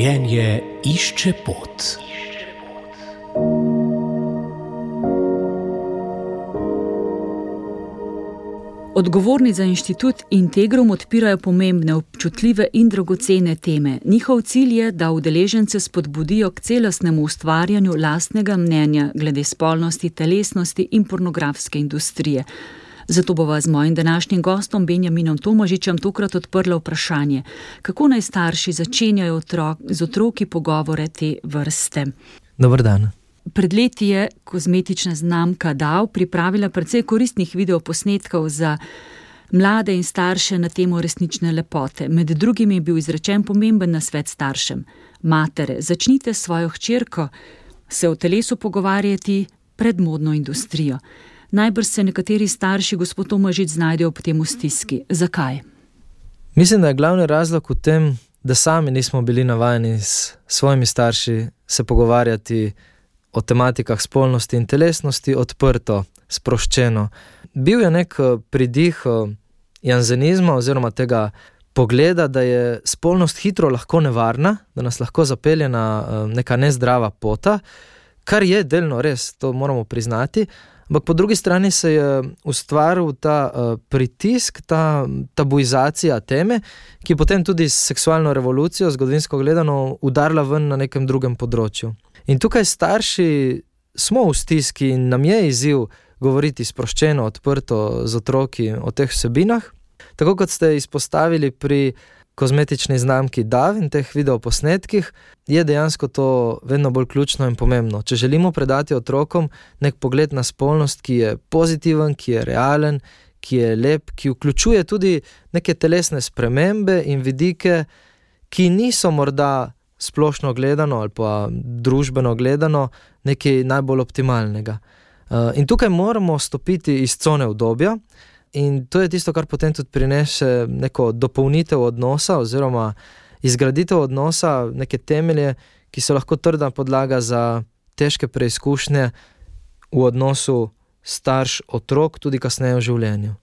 Življenje išče pot. Odgovorni za inštitut Integrum odpirajo pomembne, občutljive in dragocene teme. Njihov cilj je, da udeležence spodbudijo k celostnemu ustvarjanju lastnega mnenja glede spolnosti, telesnosti in pornografske industrije. Zato bova z mojim današnjim gostom Benjaminom Tomažičem tokrat odprla vprašanje, kako naj starši začenjajo z otroki pogovore te vrste. Dober dan. Pred leti je kozmetična znamka DAV pripravila precej koristnih videoposnetkov za mlade in starše na temo resnične lepote. Med drugim je bil izrečen pomemben nasvet staršem. Matere, začnite s svojo hčerko se o telesu pogovarjati pred modno industrijo. Najbrž se nekateri starši, gospod Tomažič, znajdejo ob tem v stiski. Zakaj? Mislim, da je glavni razlog v tem, da sami nismo bili navajeni s svojimi starši se pogovarjati o tematikah spolnosti in telesnosti odprto, sproščeno. Bil je nek pridih janzenizma oziroma tega pogleda, da je spolnost hitro lahko nevarna, da nas lahko zapelje na neka nezdrava pota, kar je delno res, to moramo priznati, ampak po drugi strani se je ustvaril ta pritisk, ta tabuizacija teme, ki je potem tudi s seksualno revolucijo, zgodovinsko gledano, udarila ven na nekem drugem področju. In tukaj starši smo v stiski in nam je izziv govoriti sproščeno, odprto z otroki o teh vsebinah. Tako kot ste izpostavili pri kozmetični znamki DAV in teh videoposnetkih, je dejansko to vedno bolj ključno in pomembno. Če želimo predati otrokom nek pogled na spolnost, ki je pozitiven, ki je realen, ki je lep, ki vključuje tudi neke telesne spremembe in vidike, ki niso morda splošno gledano ali pa družbeno gledano nekaj najbolj optimalnega. In tukaj moramo stopiti iz cone udobja in to je tisto, kar potem tudi prinese neko dopolnitev odnosa oziroma izgraditev odnosa, neke temelje, ki so lahko trda podlaga za težke preizkušnje v odnosu starš-otrok, tudi kasneje v življenju.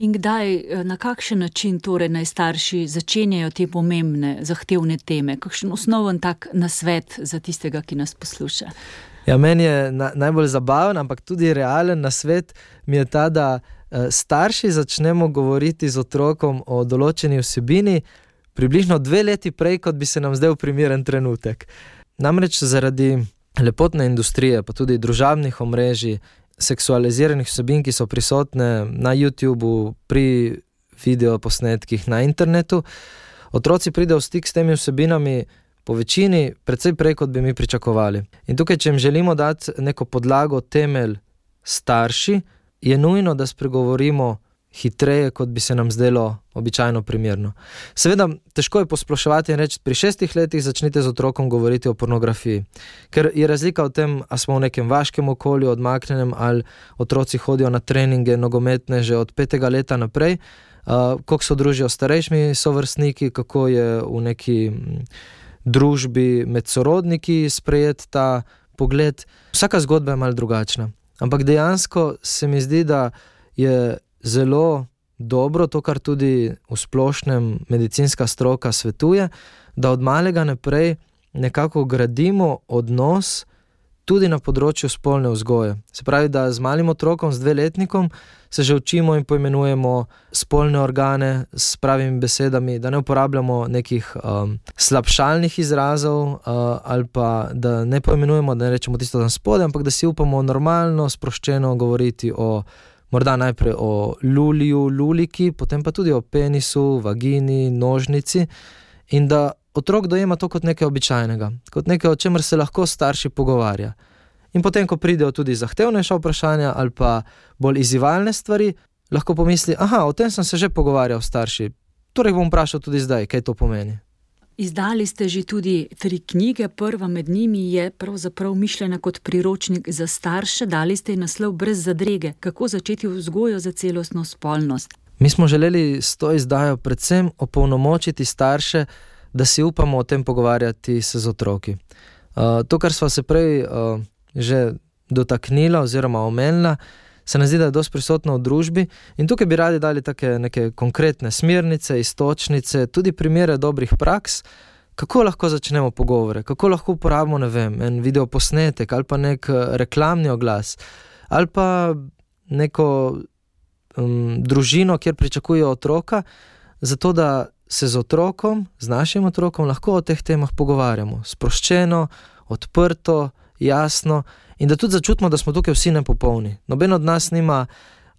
In kdaj, na kakšen način torej naj starši začenjajo te pomembne, zahtevne teme? Kakšen osnoven tak nasvet za tistega, ki nas posluša? Ja, meni je najbolj zabaven, ampak tudi realen nasvet mi je ta, da starši začnemo govoriti z otrokom o določeni vsebini približno 2 leti prej, kot bi se nam zdel primeren trenutek. Namreč zaradi lepotne industrije, pa tudi družabnih omrežij, seksualiziranih vsebin, ki so prisotne na YouTubeu, pri videoposnetkih na internetu, otroci pridejo v stik s temi vsebinami po večini precej prej, kot bi mi pričakovali. In tukaj, če jim želimo dati neko podlago, temelj starši, je nujno, da spregovorimo hitreje, kot bi se nam zdelo običajno primerno. Seveda, težko je posploševati in reči, pri 6 letih začnite z otrokom govoriti o pornografiji. Ker je razlika v tem, a smo v nekem vaškem okolju, odmaknenem, ali otroci hodijo na treninge nogometne že od 5. leta naprej, kako se družijo s starejšimi sovrstniki, kako je v neki družbi med sorodniki sprejet ta pogled. Vsaka zgodba je malo drugačna. Ampak dejansko se mi zdi, da je zelo dobro to, kar tudi v splošnem medicinska stroka svetuje, da od malega naprej nekako gradimo odnos tudi na področju spolne vzgoje. Se pravi, da z malim otrokom, z 2-letnikom se že učimo in poimenujemo spolne organe s pravimi besedami, da ne uporabljamo nekih slabšalnih izrazov ali pa da ne poimenujemo, da ne rečemo tisto tam spodaj, ampak da si upamo normalno, sproščeno govoriti morda najprej o luliju, luliki, potem pa tudi o penisu, vagini, nožnici in da otrok dojema to kot nekaj običajnega, kot nekaj, o čemer se lahko starši pogovarja. In potem, ko pridejo tudi zahtevnejša vprašanja ali pa bolj izzivalne stvari, lahko pomisli, o tem sem se že pogovarjal s starši, torej bom vprašal tudi zdaj, kaj to pomeni. Izdali ste že tudi 3 knjige, prva med njimi je pravzaprav mišljena kot priročnik za starše, dali ste ji naslov Brez zadrege, kako začeti vzgojo za celostno spolnost. Mi smo želeli s to izdajo predvsem opolnomočiti starše, da si upamo o tem pogovarjati se z otroki. To, kar sva se prej že dotaknila oziroma omenila, se nam zdi, da je dosti prisotno v družbi in tukaj bi radi dali take neke konkretne smernice, iztočnice, tudi primere dobrih praks, kako lahko začnemo pogovore, kako lahko uporabimo, ne vem, en videoposnetek ali pa nek reklamni oglas ali pa neko družino, kjer pričakujejo otroka, zato da se z otrokom, z našim otrokom lahko o teh temah pogovarjamo. Sproščeno, odprto, jasno in da tudi začutimo, da smo tukaj vsi nepopolni. Noben od nas nima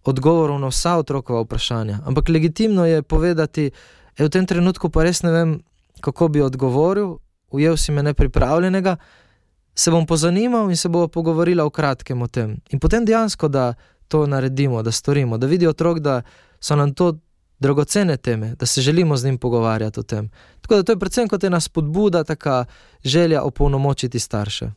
odgovorov na vsa otrokova vprašanja, ampak legitimno je povedati, v tem trenutku pa res ne vem, kako bi odgovoril, ujel si me nepripravljenega, se bom pozanimal in se bomo pogovorila v kratkem o tem. In potem dejansko, da to naredimo, da storimo, da vidi otrok, da so nam to dragocene teme, da se želimo z njim pogovarjati o tem. Tako da to je predvsem kot ena spodbuda, taka želja opolnomočiti starše.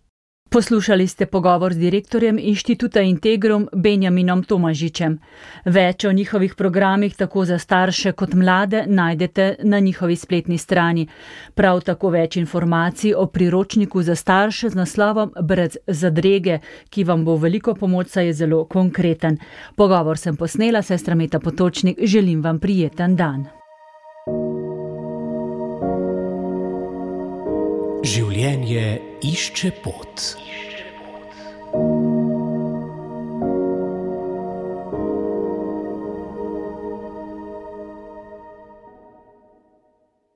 Poslušali ste pogovor z direktorjem Inštituta Integrum Benjaminom Tomažičem. Več o njihovih programih tako za starše kot mlade najdete na njihovi spletni strani. Prav tako več informacij o priročniku za starše z naslovom Brez zadrege, ki vam bo veliko pomoč, saj je zelo konkreten. Pogovor sem posnela, sestra Meta Potočnik, želim vam prijeten dan. Življenje išče pot.